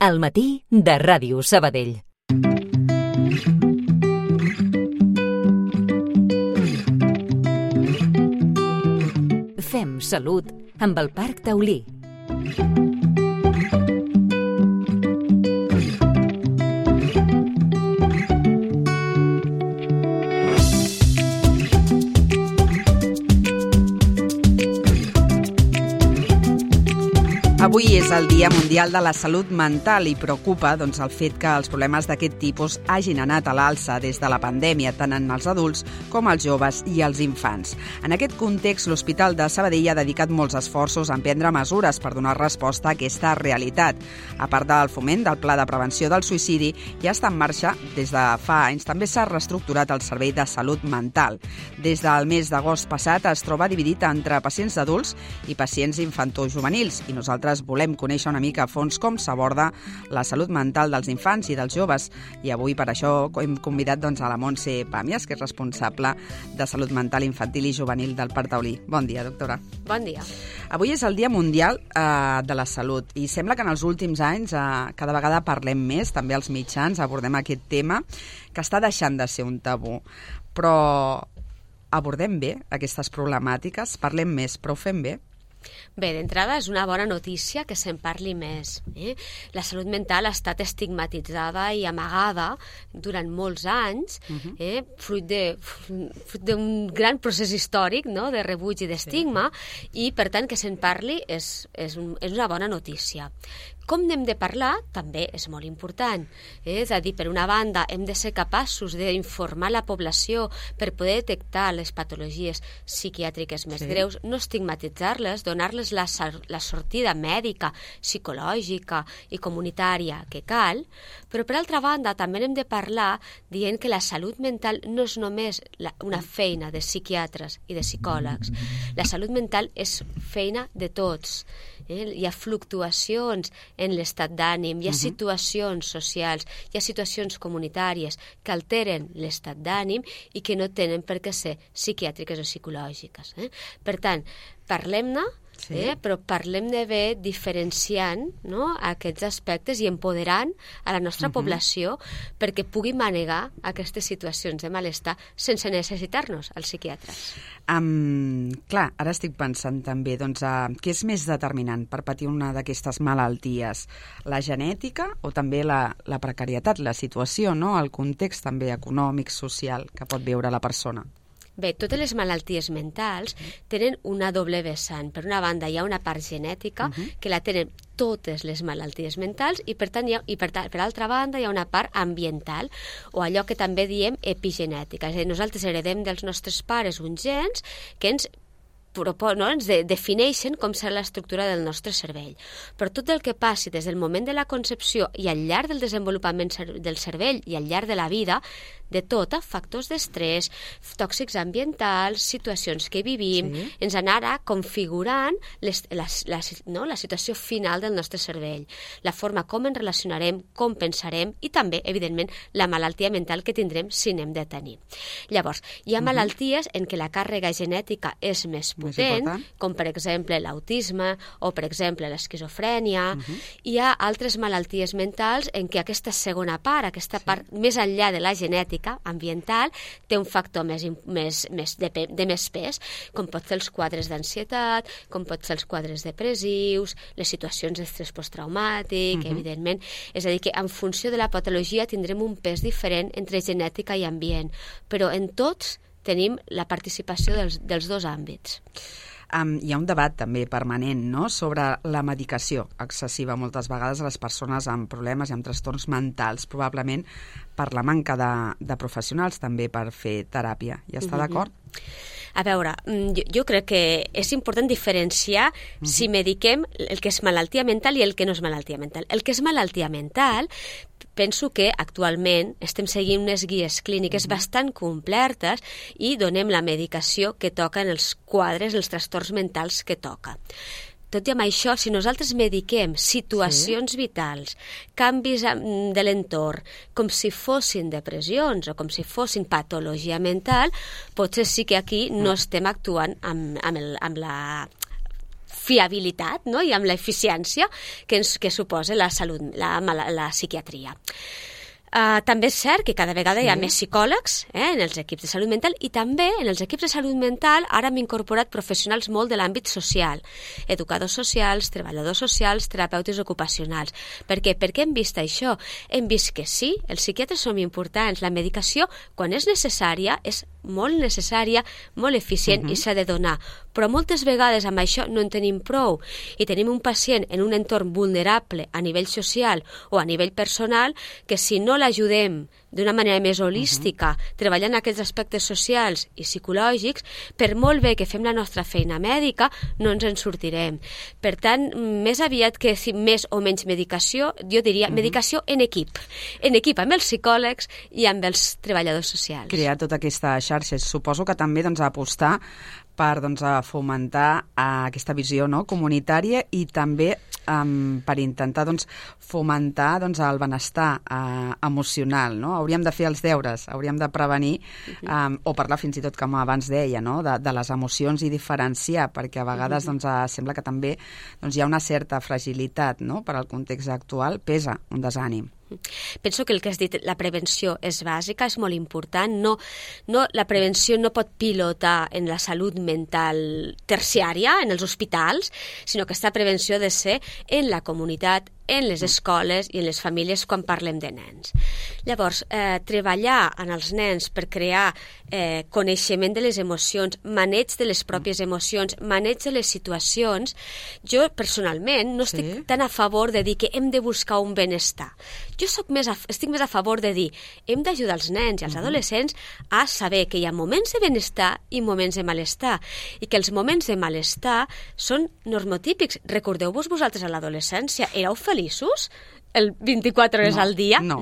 Al matí de Ràdio Sabadell. Fem salut amb el Parc Taulí. Avui és el Dia Mundial de la Salut Mental i preocupa el fet que els problemes d'aquest tipus hagin anat a l'alça des de la pandèmia, tant en els adults com els joves i els infants. En aquest context, l'Hospital de Sabadell ha dedicat molts esforços a emprendre mesures per donar resposta a aquesta realitat. A part del foment del Pla de Prevenció del Suïcidi, ja està en marxa des de fa anys. També s'ha reestructurat el Servei de Salut Mental. Des del mes d'agost passat es troba dividit entre pacients adults i pacients infantojuvenils, i nosaltres volem conèixer una mica a fons com s'aborda la salut mental dels infants i dels joves. I avui per això hem convidat a la Montse Pàmies, que és responsable de Salut Mental Infantil i Juvenil del Parc Taulí. Bon dia, doctora. Bon dia. Avui és el Dia Mundial de la Salut i sembla que en els últims anys cada vegada parlem més, també als mitjans abordem aquest tema, que està deixant de ser un tabú. Però abordem bé aquestes problemàtiques, parlem més, però ho fem bé? Bé, d'entrada és una bona notícia que se'n parli més. La salut mental ha estat estigmatitzada i amagada durant molts anys, fruit d'un gran procés històric, no?, de rebuig i d'estigma, i per tant que se'n parli és una bona notícia. Com n'hem de parlar també és molt important. És a dir, per una banda, hem de ser capaços d'informar la població per poder detectar les patologies psiquiàtriques més greus, no estigmatitzar-les, donar-les la sortida mèdica, psicològica i comunitària que cal, però per altra banda també hem de parlar dient que la salut mental no és només una feina de psiquiatres i de psicòlegs. La salut mental és feina de tots. Hi ha fluctuacions en l'estat d'ànim, hi ha situacions socials, hi ha situacions comunitàries que alteren l'estat d'ànim i que no tenen per què ser psiquiàtriques o psicològiques. Per tant, parlem-ne, però parlem-ne bé diferenciant, no?, aquests aspectes i empoderant a la nostra població perquè pugui manegar aquestes situacions de malestar sense necessitar-nos als psiquiatres. Clar, ara estic pensant també, què és més determinant per patir una d'aquestes malalties? La genètica o també la precarietat, la situació, no?, el context també econòmic, social que pot viure la persona? Bé, totes les malalties mentals tenen una doble vessant. Per una banda, hi ha una part genètica que la tenen totes les malalties mentals i per altra banda hi ha una part ambiental o allò que també diem epigenètica. És a dir, nosaltres heredem dels nostres pares uns gens que ens defineixen com serà l'estructura del nostre cervell. Però tot el que passi des del moment de la concepció i al llarg del desenvolupament del cervell i al llarg de la vida, de tot, factors d'estrès, tòxics ambientals, situacions que vivim, ens anarà configurant la situació final del nostre cervell, la forma com ens relacionarem, com pensarem i també, evidentment, la malaltia mental que tindrem si n'hem de tenir. Llavors, hi ha malalties en què la càrrega genètica és més potent, com per exemple l'autisme o per exemple l'esquizofrènia. Hi ha altres malalties mentals en què aquesta segona part, aquesta part més enllà de la genètica ambiental, té un factor de més pes, com pot ser els quadres d'ansietat, com pot ser els quadres depressius, les situacions d'estrès posttraumàtic, evidentment. És a dir, que en funció de la patologia tindrem un pes diferent entre genètica i ambient, però en tots tenim la participació dels dos àmbits. Hi ha un debat també permanent, no?, sobre la medicació excessiva moltes vegades a les persones amb problemes i amb trastorns mentals, probablement per la manca de professionals també per fer teràpia. Hi està d'acord? A veure, jo crec que és important diferenciar si mediquem el que és malaltia mental i el que no és malaltia mental. El que és malaltia mental, penso que actualment estem seguint unes guies clíniques bastant completes i donem la medicació que toca en els quadres, els trastorns mentals que toca. Tot i amb això, si nosaltres mediquem situacions vitals, canvis de l'entorn, com si fossin depressions o com si fossin patologia mental, potser sí que aquí no estem actuant amb la fiabilitat, no? I amb l'eficiència que suposa la salut, la psiquiatria. També és cert que cada vegada hi ha més psicòlegs en els equips de salut mental i també en els equips de salut mental ara hem incorporat professionals molt de l'àmbit social, educadors socials, treballadors socials, terapeutes ocupacionals. Per què? Perquè hem vist això. Hem vist que sí, els psiquiatres som importants. La medicació, quan és necessària, és molt necessària, molt eficient i s'ha de donar. Però moltes vegades amb això no en tenim prou i tenim un pacient en un entorn vulnerable a nivell social o a nivell personal que si no l'ajudem d'una manera més holística, treballant aquests aspectes socials i psicològics, per molt bé que fem la nostra feina mèdica, no ens en sortirem. Per tant, més aviat que més o menys medicació, jo diria medicació en equip amb els psicòlegs i amb els treballadors socials. Crear tota aquesta xarxa. Suposo que també apostar per fomentar aquesta visió comunitària i també per intentar fomentar el benestar emocional. No? Hauríem de fer els deures, hauríem de prevenir o parlar fins i tot, com abans deia, de les emocions i diferenciar, perquè a vegades sembla que també hi ha una certa fragilitat per al context actual, pesa un desànim. Penso que el que has dit, la prevenció és bàsica, és molt important. La prevenció no pot pilotar en la salut mental terciària, en els hospitals, sinó que aquesta prevenció ha de ser en la comunitat, en les escoles i en les famílies quan parlem de nens. Llavors, treballar en els nens per crear coneixement de les emocions, maneig de les pròpies emocions, maneig de les situacions, jo personalment no estic tan a favor de dir que hem de buscar un benestar. Jo estic més a favor de dir hem d'ajudar els nens i els adolescents a saber que hi ha moments de benestar i moments de malestar i que els moments de malestar són normotípics. Recordeu-vos vosaltres a l'adolescència, éreu feliços? El 24 hores al dia? No.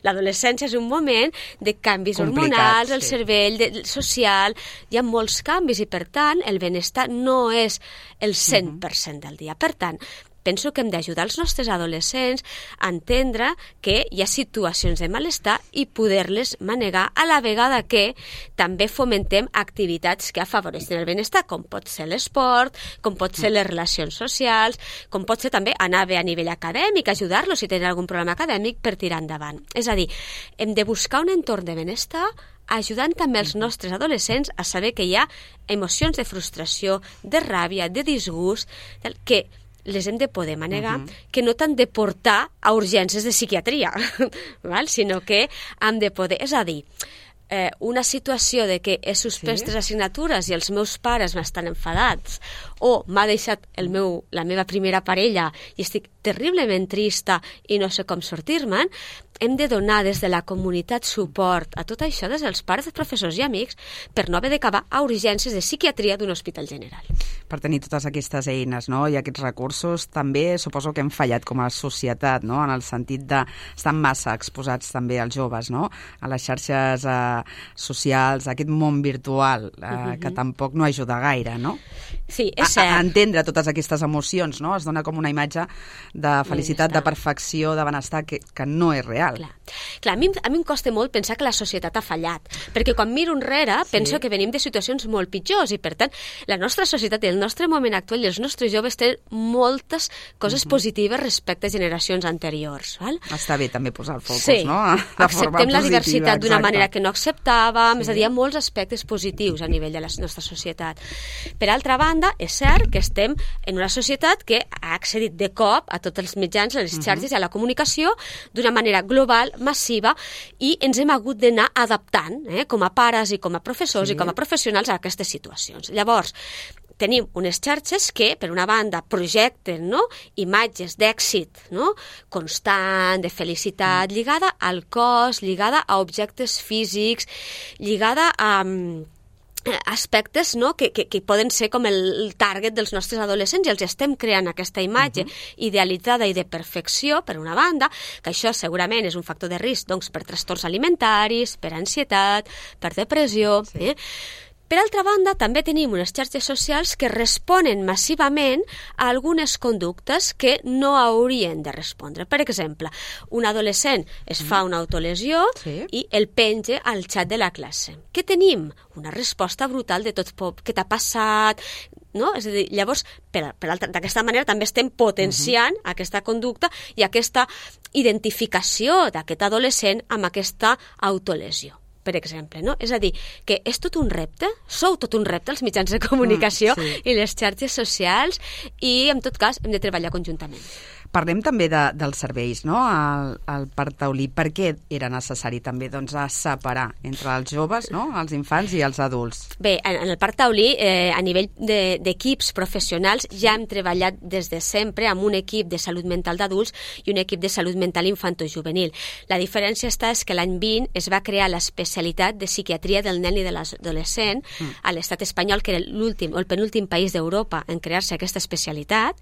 L'adolescència és un moment de canvis hormonals, el cervell, social, hi ha molts canvis i, per tant, el benestar no és el 100% del dia. Per tant, penso que hem d'ajudar els nostres adolescents a entendre que hi ha situacions de malestar i poder-les manegar a la vegada que també fomentem activitats que afavoreixen el benestar, com pot ser l'esport, com pot ser les relacions socials, com pot ser també anar bé a nivell acadèmic, ajudar-los si tenen algun problema acadèmic per tirar endavant. És a dir, hem de buscar un entorn de benestar ajudant també els nostres adolescents a saber que hi ha emocions de frustració, de ràbia, de disgust, que les hem de poder manegar, que no t'han de portar a urgències de psiquiatria, sinó que hem de poder... És a dir, una situació de que he suspès 3 assignatures i els meus pares m'estan enfadats o m'ha deixat la meva primera parella i estic terriblement trista i no sé com sortir-me'n, hem de donar des de la comunitat suport a tot això, des dels pares, professors i amics, per no haver d'acabar a urgències de psiquiatria d'un hospital general. Per tenir totes aquestes eines i aquests recursos, també suposo que hem fallat com a societat, en el sentit d'estar massa exposats també als joves, a les xarxes socials, a aquest món virtual, que tampoc no ajuda gaire, no? Sí, és cert. A entendre totes aquestes emocions, no? Es dona com una imatge de felicitat, de perfecció, de benestar, que no és real. Clar, a mi em costa molt pensar que la societat ha fallat, perquè quan miro enrere penso que venim de situacions molt pitjors i, per tant, la nostra societat i el nostre moment actual i els nostres joves tenen moltes coses positives respecte a generacions anteriors. Val? Està bé també posar el focus, no? Acceptem la diversitat d'una manera que no acceptàvem, és a dir, hi ha molts aspectes positius a nivell de la nostra societat. Per altra banda, és cert que estem en una societat que ha accedit de cop a tots els mitjans, a les xarxes i a la comunicació d'una manera global, massiva, i ens hem hagut d'anar adaptant, com a pares i com a professors i com a professionals a aquestes situacions. Llavors, tenim unes xarxes que, per una banda, projecten imatges d'èxit constant, de felicitat, lligada al cos, lligada a objectes físics, lligada a aspectes que poden ser com el target dels nostres adolescents i els estem creant aquesta imatge idealitzada i de perfecció, per una banda, que això segurament és un factor de risc per trastorns alimentaris, per ansietat, per depressió. Per altra banda, també tenim unes xarxes socials que responen massivament a algunes conductes que no haurien de respondre. Per exemple, un adolescent es fa una autolesió i el penja al xat de la classe. Què tenim? Una resposta brutal de tot què t'ha passat, no? És a dir, llavors, d'aquesta manera també estem potenciant aquesta conducta i aquesta identificació d'aquest adolescent amb aquesta autolesió, per exemple, no? És a dir, que és tot un repte, sou tot un repte els mitjans de comunicació i les xarxes socials i, en tot cas, hem de treballar conjuntament. Parlem també dels serveis, no?, al Parc Taulí. Per què era necessari també separar entre els joves, no?, els infants i els adults? Bé, en el Parc Taulí, a nivell d'equips professionals, ja hem treballat des de sempre amb un equip de salut mental d'adults i un equip de salut mental infantojuvenil. La diferència és que l'any 20 es va crear l'especialitat de psiquiatria del nen i de l'adolescent a l'estat espanyol, que era l'últim o el penúltim país d'Europa en crear-se aquesta especialitat.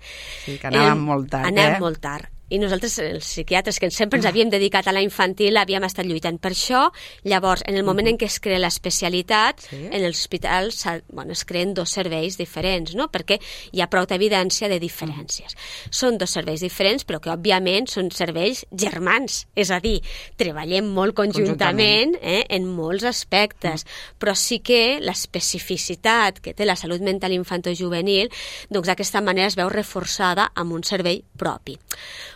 Sí, que anàvem molt tard, molt tard. I nosaltres, els psiquiatres, que sempre ens havíem dedicat a la infantil, havíem estat lluitant per això. Llavors, en el moment en què es crea l'especialitat, en els hospitals es creen 2 serveis diferents, no?, perquè hi ha prou evidència de diferències. Són 2 serveis diferents, però que, òbviament, són serveis germans. És a dir, treballem molt conjuntament en molts aspectes, però sí que l'especificitat que té la salut mental infantojuvenil, doncs d'aquesta manera es veu reforçada amb un servei propi.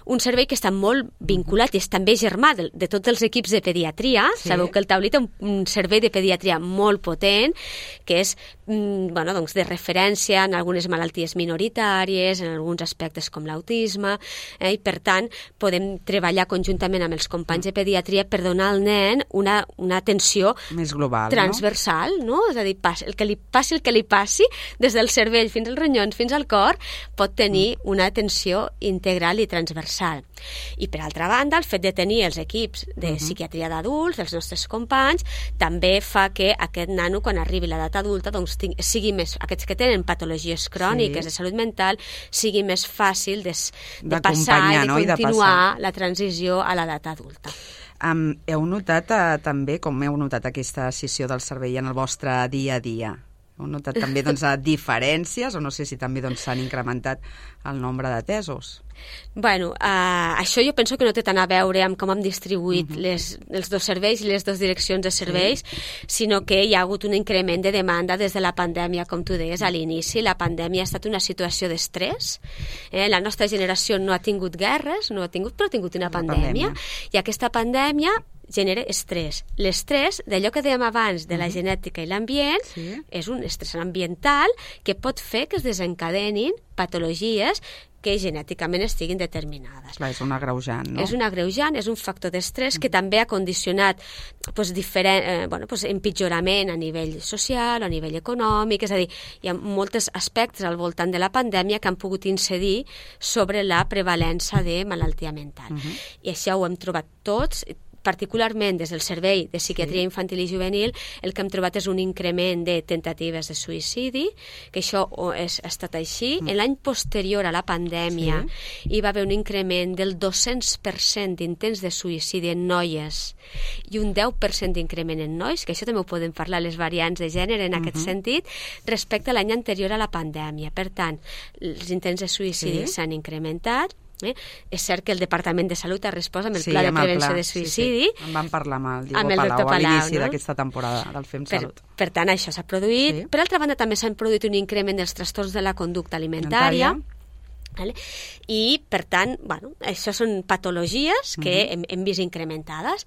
Un servei que està molt vinculat i és també germà de tots els equips de pediatria. Sabeu que el Taulí té un servei de pediatria molt potent, que és de referència en algunes malalties minoritàries, en alguns aspectes com l'autisme, i per tant podem treballar conjuntament amb els companys de pediatria per donar al nen una atenció més global, transversal, no? És a dir, el que li passi, des del cervell fins als ronyons, fins al cor, pot tenir una atenció integral i transversal. I per altra banda, el fet de tenir els equips de psiquiatria d'adults, els nostres companys, també fa que aquest nano, quan arribi a l'edat adulta, doncs sigui més, aquests que tenen patologies cròniques de salut mental, sigui més fàcil de passar i de continuar la transició a l'edat adulta. Heu notat també, com heu notat aquesta escissió del servei en el vostre dia a dia? Heu notat també diferències, o no sé si també s'han incrementat el nombre d'atesos? Bueno, això jo penso que no té tant a veure amb com hem distribuït els 2 serveis i les 2 direccions de serveis, sinó que hi ha hagut un increment de demanda des de la pandèmia, com tu deies a l'inici. La pandèmia ha estat una situació d'estrès. La nostra generació no ha tingut guerres, però ha tingut una pandèmia. I aquesta pandèmia genera estrès. L'estrès, d'allò que dèiem abans de la genètica i l'ambient, és un estrès ambiental que pot fer que es desencadenin patologies que genèticament estiguin determinades. Clar, és un agreujant, no? És un agreujant, és un factor d'estrès que també ha condicionat empitjorament a nivell social, a nivell econòmic, és a dir, hi ha molts aspectes al voltant de la pandèmia que han pogut incidir sobre la prevalença de malaltia mental. I això ho hem trobat tots, particularment des del Servei de Psiquiatria Infantil i Juvenil, el que hem trobat és un increment de tentatives de suïcidi, que això ha estat així. En l'any posterior a la pandèmia hi va haver un increment del 200% d'intents de suïcidi en noies i un 10% d'increment en nois, que això també ho podem parlar les variants de gènere en aquest sentit, respecte a l'any anterior a la pandèmia. Per tant, els intents de suïcidi s'han incrementat. És cert que el Departament de Salut ha respost amb el Pla de Prevenció de Suïcidi. En vam parlar amb el Diego Palau a l'inici d'aquesta temporada del FEM Salut. Per tant, això s'ha produït. Per altra banda, també s'han produït un increment dels trastorns de la conducta alimentària. I, per tant, això són patologies que hem vist incrementades.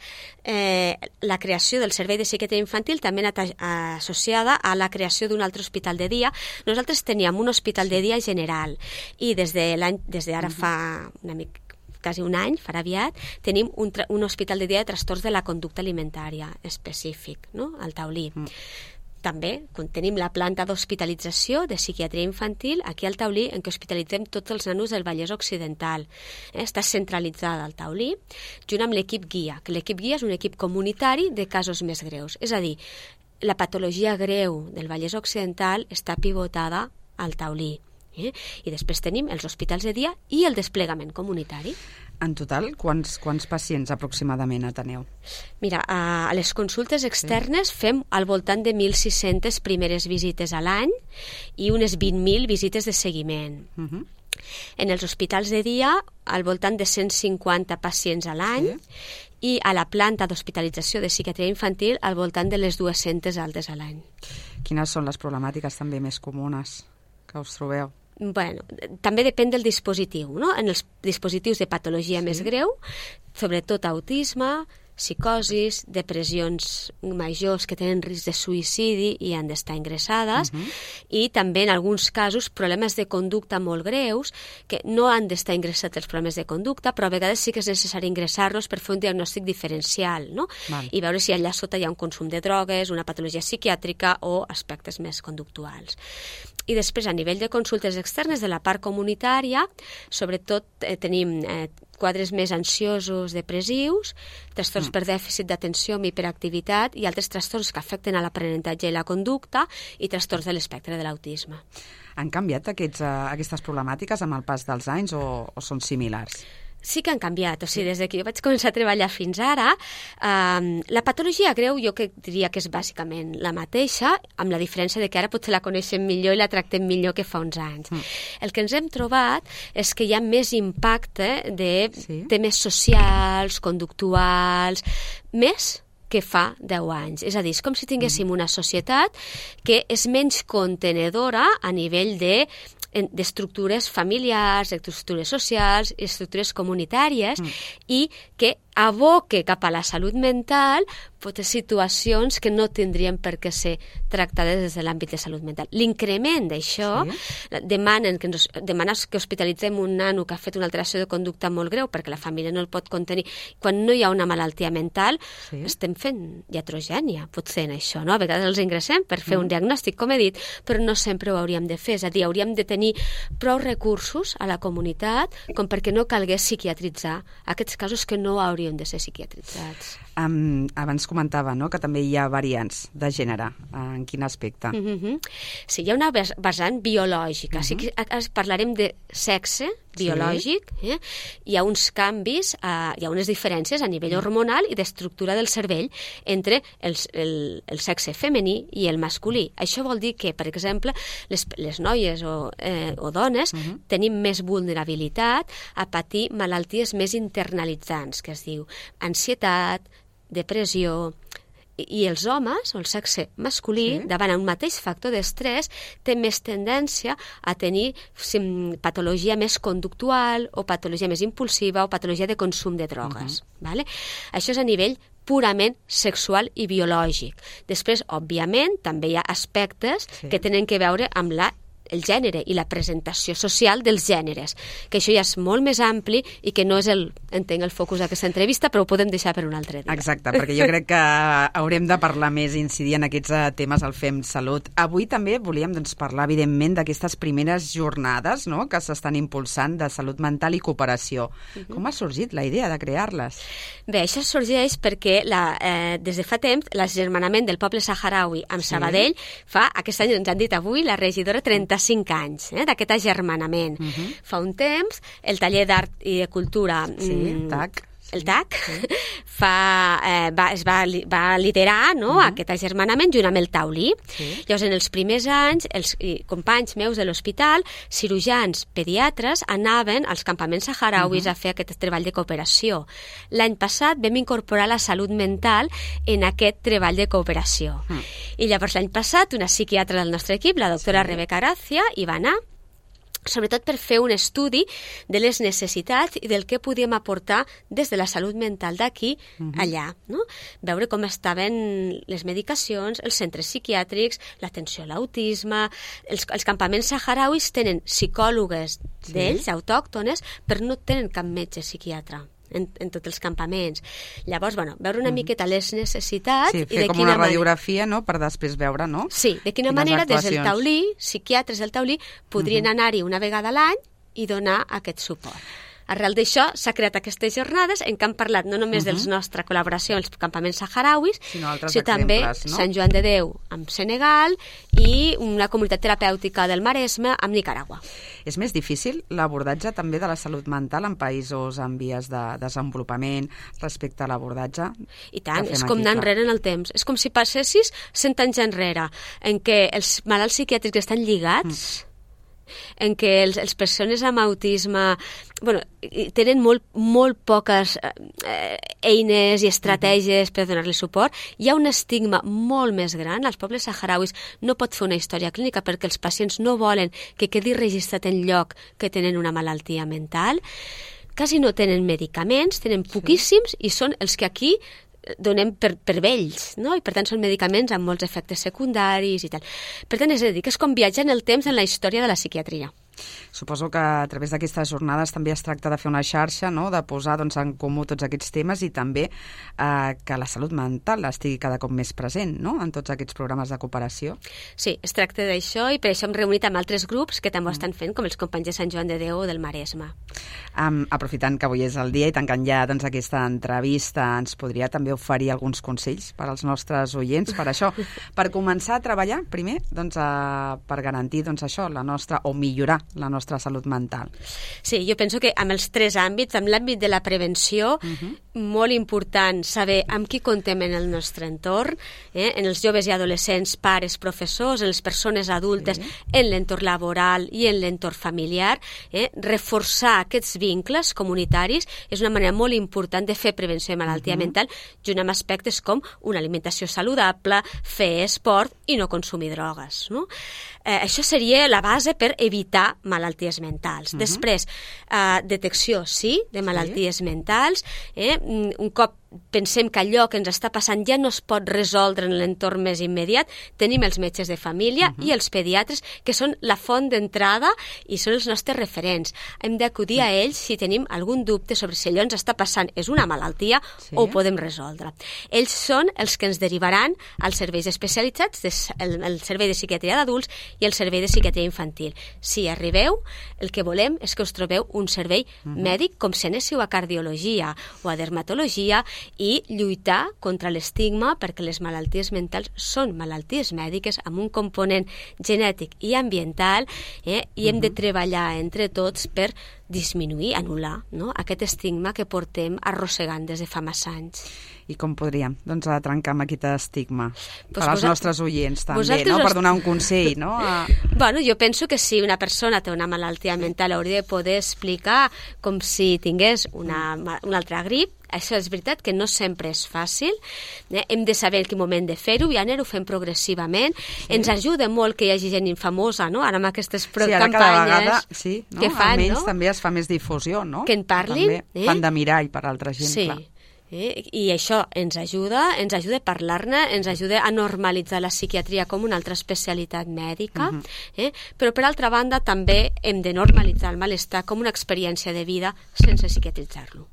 La creació del Servei de Psiquiatria Infantil també ha estat associada a la creació d'un altre hospital de dia. Nosaltres teníem un hospital de dia general i des d'ara fa quasi un any, farà aviat, tenim un hospital de dia de trastorns de la conducta alimentària específic, no?, al Taulí. També tenim la planta d'hospitalització de psiquiatria infantil aquí al Taulí, en què hospitalitzem tots els nanos del Vallès Occidental. Està centralitzada al Taulí, junt amb l'equip guia, que l'equip guia és un equip comunitari de casos més greus. És a dir, la patologia greu del Vallès Occidental està pivotada al Taulí. I després tenim els hospitals de dia i el desplegament comunitari. En total, quants pacients aproximadament ateneu? Mira, a les consultes externes fem al voltant de 1.600 primeres visites a l'any i unes 20.000 visites de seguiment. En els hospitals de dia, al voltant de 150 pacients a l'any i a la planta d'hospitalització de psiquiatria infantil al voltant de les 200 altes a l'any. Quines són les problemàtiques també més comunes que us trobeu? Bueno, també depèn del dispositiu, no? En els dispositius de patologia més greu, sobretot autisme, psicosis, depressions majors que tenen risc de suïcidi i han d'estar ingressades, i també en alguns casos problemes de conducta molt greus que no han d'estar ingressats els problemes de conducta, però a vegades sí que és necessari ingressar-los per fer un diagnòstic diferencial, no? I veure si allà sota hi ha un consum de drogues, una patologia psiquiàtrica o aspectes més conductuals. I després, a nivell de consultes externes de la part comunitària, sobretot tenim quadres més ansiosos, depressius, trastorns per dèficit d'atenció amb hiperactivitat i altres trastorns que afecten a l'aprenentatge i la conducta i trastorns de l'espectre de l'autisme. Han canviat aquestes problemàtiques amb el pas dels anys o són similars? Sí que han canviat, o sigui, des que jo vaig començar a treballar fins ara, la patologia greu jo que diria que és bàsicament la mateixa, amb la diferència de que ara potser la coneixem millor i la tractem millor que fa uns anys. El que ens hem trobat és que hi ha més impacte de temes socials, conductuals, més que fa 10 anys. És a dir, és com si tinguéssim una societat que és menys contenedora a nivell d'estructures familiars, estructures socials, estructures comunitàries i que aboque cap a la salut mental situacions que no tindrien per què ser tractades des de l'àmbit de salut mental. L'increment d'això demana que hospitalitzem un nano que ha fet una alteració de conducta molt greu perquè la família no el pot contenir. Quan no hi ha una malaltia mental, estem fent iatrogènia, potser en això, no? A vegades els ingressem per fer un diagnòstic, com he dit, però no sempre ho hauríem de fer. És a dir, hauríem de tenir prou recursos a la comunitat com perquè no calgués psiquiatritzar aquests casos que no haurien de ser psiquiatritzats. Abans comentava, no?, que també hi ha variants de gènere. En quin aspecte? Sí, hi ha una vessant biològica. Sí que parlarem de sexe biològic. Hi ha uns canvis, hi ha unes diferències a nivell hormonal i d'estructura del cervell entre el sexe femení i el masculí. Això vol dir que, per exemple, les noies o dones tenim més vulnerabilitat a patir malalties més internalitzants, que es diu ansietat, depressió, i els homes, o el sexe masculí, davant un mateix factor d'estrès, té més tendència a tenir patologia més conductual o patologia més impulsiva o patologia de consum de drogues. Això és a nivell purament sexual i biològic. Després, òbviament, també hi ha aspectes que tenen que veure amb el gènere i la presentació social dels gèneres, que això ja és molt més ampli i que no és entenc, el focus d'aquesta entrevista, però ho podem deixar per un altre dia. Exacte, perquè jo crec que haurem de parlar més i incidir en aquests temes al FEM Salut. Avui també volíem parlar, evidentment, d'aquestes primeres jornades, no?, que s'estan impulsant de salut mental i cooperació. Com ha sorgit la idea de crear-les? Bé, això sorgeix perquè des de fa temps l'agermanament del poble saharaui amb Sabadell aquest any, ens han dit avui, la regidora 35 anys d'aquest agermanament. Fa un temps, el taller d'art i de cultura, el TAC, va liderar aquest agermanament junt amb el taulí. Llavors, en els primers anys, els companys meus de l'hospital, cirurgians, pediatres, anaven als campaments saharauis a fer aquest treball de cooperació. L'any passat vam incorporar la salut mental en aquest treball de cooperació. I llavors, l'any passat, una psiquiatra del nostre equip, la doctora Rebeca Gracia, hi va anar, sobretot per fer un estudi de les necessitats i del que podíem aportar des de la salut mental d'aquí allà, no? Veure com estaven les medicacions, els centres psiquiàtrics, l'atenció a l'autisme. Els campaments saharauis tenen psicòlogues d'ells, autòctones, però no tenen cap metge psiquiatre en tots els campaments. Llavors, veure una miqueta les necessitats i de quina manera... fer com una radiografia, no?, per després veure, no?, sí, de quina manera des del taulí, psiquiatres del taulí, podrien anar-hi una vegada a l'any i donar aquest suport. Arrel d'això s'ha creat aquestes jornades en què han parlat no només de la nostra col·laboració als campaments saharauis, sinó també Sant Joan de Déu amb Senegal i una comunitat terapèutica del Maresme amb Nicaragua. És més difícil l'abordatge també de la salut mental en països en vies de desenvolupament respecte a l'abordatge? I tant, és com anar enrere en el temps. És com si passessis 100 anys enrere, en què els malalts psiquiàtrics estan lligats, en què les persones amb autisme tenen molt poques eines i estratègies per donar-li suport. Hi ha un estigma molt més gran. Als pobles saharauis no pot fer una història clínica perquè els pacients no volen que quedi registrat en lloc que tenen una malaltia mental. Quasi no tenen medicaments, tenen poquíssims i són els que aquí donem per vells, no? I per tant són medicaments amb molts efectes secundaris i tal. Per tant, és a dir, que és com viatjar en el temps en la història de la psiquiatria. Suposo que a través d'aquestes jornades també es tracta de fer una xarxa, no? De posar en comú tots aquests temes i també que la salut mental estigui cada cop més present, no? En tots aquests programes de cooperació. Sí, es tracta d'això i per això hem reunit amb altres grups que també ho estan fent, com els companys de Sant Joan de Déu o del Maresme. Aprofitant que avui és el dia i tancant ja aquesta entrevista, ens podria també oferir alguns consells per als nostres oients per això, per començar a treballar primer per garantir això, o millorar la nostra salut mental. Sí, jo penso que amb els 3 àmbits, amb l'àmbit de la prevenció, molt important saber amb qui contem en el nostre entorn, en els joves i adolescents, pares, professors, en les persones adultes, en l'entorn laboral i en l'entorn familiar. Reforçar aquests vincles comunitaris és una manera molt important de fer prevenció de malaltia mental, junt amb aspectes com una alimentació saludable, fer esport i no consumir drogues, no? Això seria la base per evitar malalties mentals. Després, detecció, sí, de malalties mentals. Un cop pensem que allò que ens està passant ja no es pot resoldre en l'entorn més immediat, tenim els metges de família i els pediatres, que són la font d'entrada i són els nostres referents. Hem d'acudir a ells si tenim algun dubte sobre si allò ens està passant és una malaltia o ho podem resoldre. Ells són els que ens derivaran als serveis especialitzats, el servei de psiquiatria d'adults i el servei de psiquiatria infantil. Si arribeu, el que volem és que us trobeu un servei mèdic com si anéssiu a cardiologia o a dermatologia i lluitar contra l'estigma, perquè les malalties mentals són malalties mèdiques amb un component genètic i ambiental, i hem de treballar entre tots per disminuir, anul·lar, no? Aquest estigma que portem arrossegant des de fa massa anys. I com podríem trencar amb aquest estigma? Per als nostres oients també, no? Per donar un consell, no? Bueno, jo penso que si una persona té una malaltia mental hauria de poder explicar com si tingués una altra grip. Això és veritat que no sempre és fàcil. Hem de saber en quin moment de fer-ho i anar-ho fent progressivament. Ens ajuda molt que hi hagi gent infamosa, no? Ara amb aquestes campanyes que fan, almenys també es fa més difusió, no? Que en parlin. També fan de mirall per altra gent, clar. I això ens ajuda a parlar-ne, ens ajuda a normalitzar la psiquiatria com una altra especialitat mèdica, però per altra banda també hem de normalitzar el malestar com una experiència de vida sense psiquiatritzar-lo.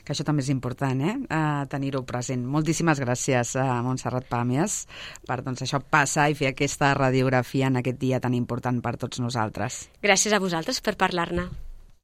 Que això també és important, tenir-ho present. Moltíssimes gràcies a Montserrat Pàmies per això passar i fer aquesta radiografia en aquest dia tan important per tots nosaltres. Gràcies a vosaltres per parlar-ne.